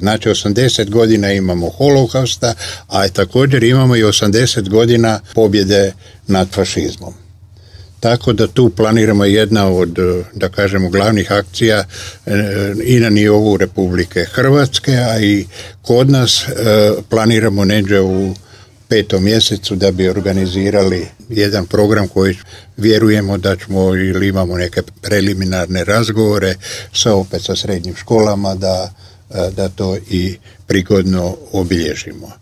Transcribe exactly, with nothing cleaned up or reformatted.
Znači osamdeset godina imamo holokausta, a također imamo i osamdeset godina pobjede nad fašizmom. Tako da tu planiramo jedna od, da kažemo, glavnih akcija i na nivou Republike Hrvatske, a i kod nas planiramo neđe u petom mjesecu da bi organizirali jedan program koji vjerujemo da ćemo ili imamo neke preliminarne razgovore sa opet sa srednjim školama da, da to i prigodno obilježimo.